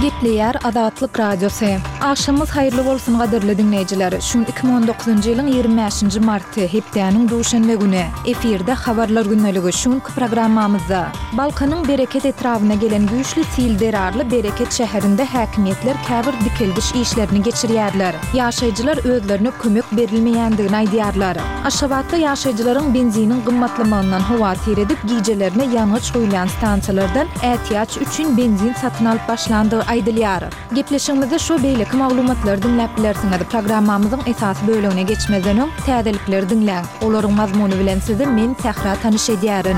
Gepleýär Azatlyk Radiosy. Agşamyňyz haýyrly bolsun gadyrly diňleýjiler. Şu gün 2019-njy ýylyň 25-nji marty, hepdäniň duşenbe güni. Efirde Habarlar gündeligi şu günki programmamyzda. Balkanyň Bereket etrabyna gelen güýçli sil zerarly Bereket şäherinde häkimiýetler käbir dikeldiş işlerini geçirýärler. Ýaşaýjylar özlerine kömek berilmeýändigini aýdýarlar. Aşgabatda ýaşaýjylaryň benziniň gymmatlamagyndan howatyr edip, gijelerine ýangyç guýulýan stansiýalardan ätiýaç üçin benzin satyn alyp başlandygy aýdylýar. Gepleşigimizde şu we beýleki maglumatlary diňläp bilersiňiz. Programmamyzyň esasy bölegine geçmezden öň, täzelikleri diňläň. Olaryň mazmuny bilen sizi men, Sähra tanyş edýärin.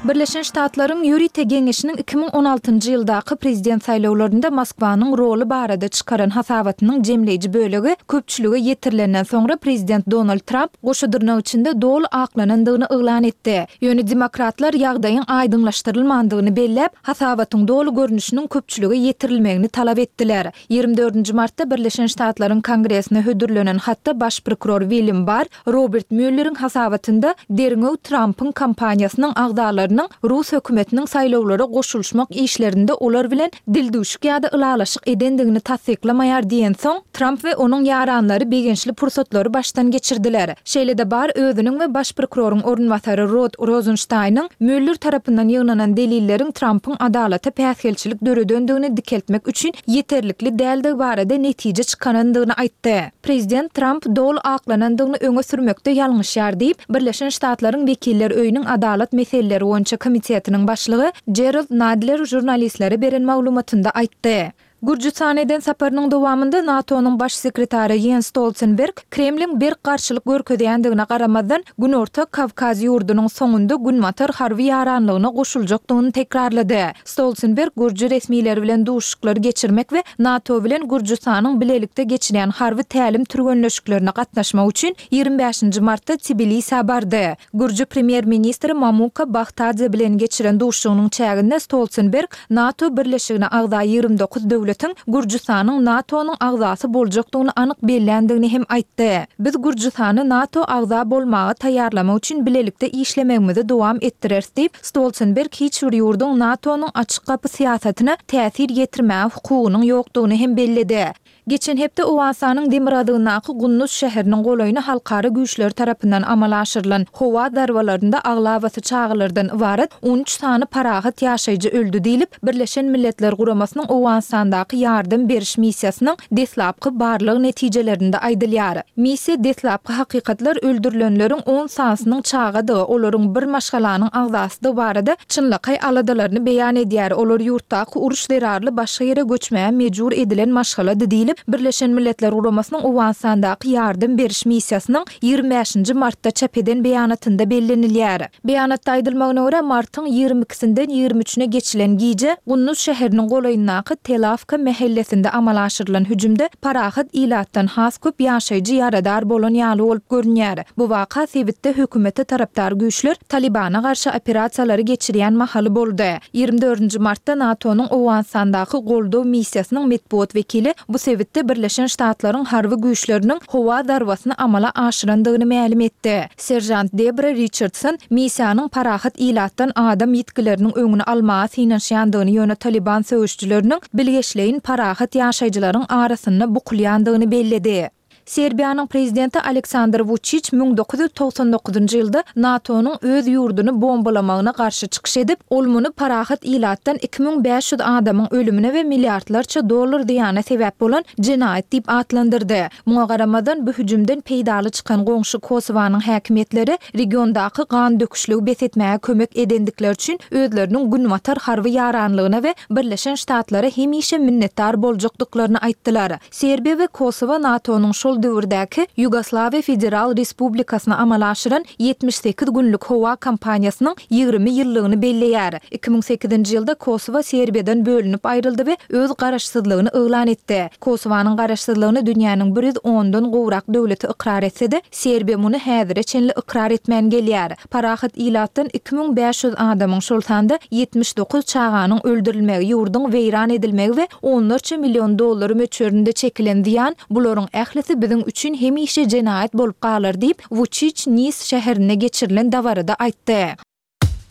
Birleşen Ştatlaryň Ýörite geňeşiniň 2016-njy ýyldaky prezident saýlawlarynda Moskwanyň roly barada çykaran hasabatynyň jemleýji bölegi köpçülige ýetirilenden soňra prezident Donald Tramp goşa dyrnak içinde doly aklanandygyny yglan etdi. Ýöne demokratlar ýagdaýyň aýdyňlaşdyrylmandygyny belläp, hasabatyň doly görnüşiniň köpçülige ýetirilmegini talap etdiler. Ýigrimi dördünji martda Birleşen Ştatlaryň Kongresine hödürlenen hatda baş prokuror William Barr Robert Mülleriň hasabatynda derňew Trampyň kampaniýasynyň agzalarynyň rus hökümetiniň saýlawlara goşulyşmak işlerinde olar bilen dildüwşük ýa-da ylalaşyk edendigini tassyklamaýar diýensoň, Tramp we onuň ýaranlary begençli pursatlary başdan geçirdiler. Şeýle-de Barr özüniň we baş prokuroryň orunbasary Rod Rozenştaýnyň Müller tarapyndan ýygnanan delilleriň Trampyň adalata päsgelçilik döredendigini dikeltmek üçin ýeterlikli däldigi barada netije çykarandygyny aýtdy. Prezident Tramp doly aklanandygyny öňe sürmekde ýalňyşýar diýip, Birleşen Ştatlaryň Wekiller öýüniň Adalat meseleleri boýunça komitetiniň başlygy Jerald Nadler žurnalistlere beren maglumatynda aýtdy. Gürjüstana eden saparynyň dowamynda NATO-nyň Baş sekretary Ýens Stoltenberg Kremliň berk garşylyk görkezýändigine garamazdan, Günorta Kawkaz ýurdunyň soňunda Günbatar harby ýaranlygyna goşuljakdygyny tekrarlady. Stoltenberg gürji resmileri bilen duşuşyklary geçirmek we NATO bilen Gürjüstanyň bilelikde geçirýän harby tälim-türgenleşiklerine gatnaşmak üçin 25-nji martda Tbilisä bardy. Gürji premýer-ministri Mamuka Bahtadze bilen geçiren duşuşygynyň çäginde Stoltenberg NATO birleşigine agza 29 döwletiň Gürjüstanyň NATO-nyň agzasy boljakdygyny anyk belländigini hem aýtdy. Biz Gürjüstany NATO agza bolmaga taýýarlamak üçin bilelikde işlemegimizi dowam etdireris diýip, Stoltenberg hiç bir ýurduň NATO-nyň açyk gapy syýasatyna täsir ýetirmäge hukugynyň ýokdugyny hem belledi. Geçen hepde Owganystanyň demirgazygyndaky Gunduz şäheriniň golaýyna halkara güýçleri tarapyndan amala aşyrylan howa zarbalarynda aglabasy çagalardan ybarat 13 sany parahat ýaşaýjy öldi diýlip, Birleşen Milletler Guramasynyň Owganystandaky ýardam beriş missiýasynyň deslapky barlag netijelerinde aýdylýar. Missiýa deslapky hakykatlar öldürilenleriň on sanysynyň çagadygy, olaryň bir maşgalanyň agzasydygy barada çynlakaý aladalaryny beýan edýär, olar ýurtdaky uruş zerarly başga ýere göçmäge mejbur edilen maşgalady diýlip, Birleşen Milletler Guramasynyň Owganystandaky ýardam beriş missiýasynyň 25-nji martda çap eden beýanatynda bellenilýär. Beýanatda aýdylmagyna görä, martyň 22 ikisinden 23-üne geçilen gije Gunduz şäheriniň golaýyndaky Telawka mähellesinde amala aşyrylan hüjümde parahat ilatdan has köp ýaşaýjy ýaradar bolan ýaly bolup görünýär. Bu waka sebitde hökümete tarapdar güýçler Talybana garşy operasiýalary geçirýän mahaly boldy. 24-nji martda NATO-nyň Owganystandaky goldaw missiýasynyň metbugat wekili bu sebitde Birleşen Ştatlaryň harby güýçleriniň howa zarbasyny amala aşyrandygyny mälim etdi. Seržant Debra Riçardson missiýanyň parahat ilatdan adam ýitgileriniň öňüni almaga synanyşýandygyny, ýöne Talyban söweşijileriniň bilgeşleýin parahat ýaşaýjylaryň arasynda bukulýandygyny belledi. Serbiýanyň prezidenti Aleksandr Wuçiç 1999-njy ýylda NATO-nyň öz ýurduny bombalamagyna garşy çykyş edip, ol muny parahat ilatdan 2500 adamyň ölümine we milliardlarça dollar zyýana sebäp bolan jenaýat diýip atlandyrdy. Muňa garamazdan, bu hüjümden peýdaly çykan goňşy Kosowanyň häkimiýetleri regiondaky gan döküşligi bes etmäge kömek edendikleri üçin özleriniň Günbatar harby ýaranlygyna we Birleşen Ştatlara hemişe minnetdar boljakdyklaryny aýtdylar. Serbiýa we Kosowa NATO-nyň şol döwürdäki Ýugoslawiýa Federal Respublikasyna amala aşyran 78 günlük howa kampaniýasynyň 20 ýyllygyny belleýär. 2008-nji ýylda Kosowa Serbiýadan bölünip aýryldy we öz garaşsyzlygyny yglan etdi. Kosowanyň garaşsyzlygyny dünýäniň bir ýüz ondan gowrak döwleti ykrar etse-de, Serbiýa muny häzire çenli ykrar etmän gelýär. Parahat ilatdan 2500 adamyň, şol sanda 79 çaganyň öldürilmegi, ýurduň weýran edilmegi we onlarça million dollar möçberinde çekilen zyýan, bularyň ählisi biziň üçin hemişe jenaýat bolup galar diýip, Wuçiç Nis şäherinde geçirilen dabarada aýtdy.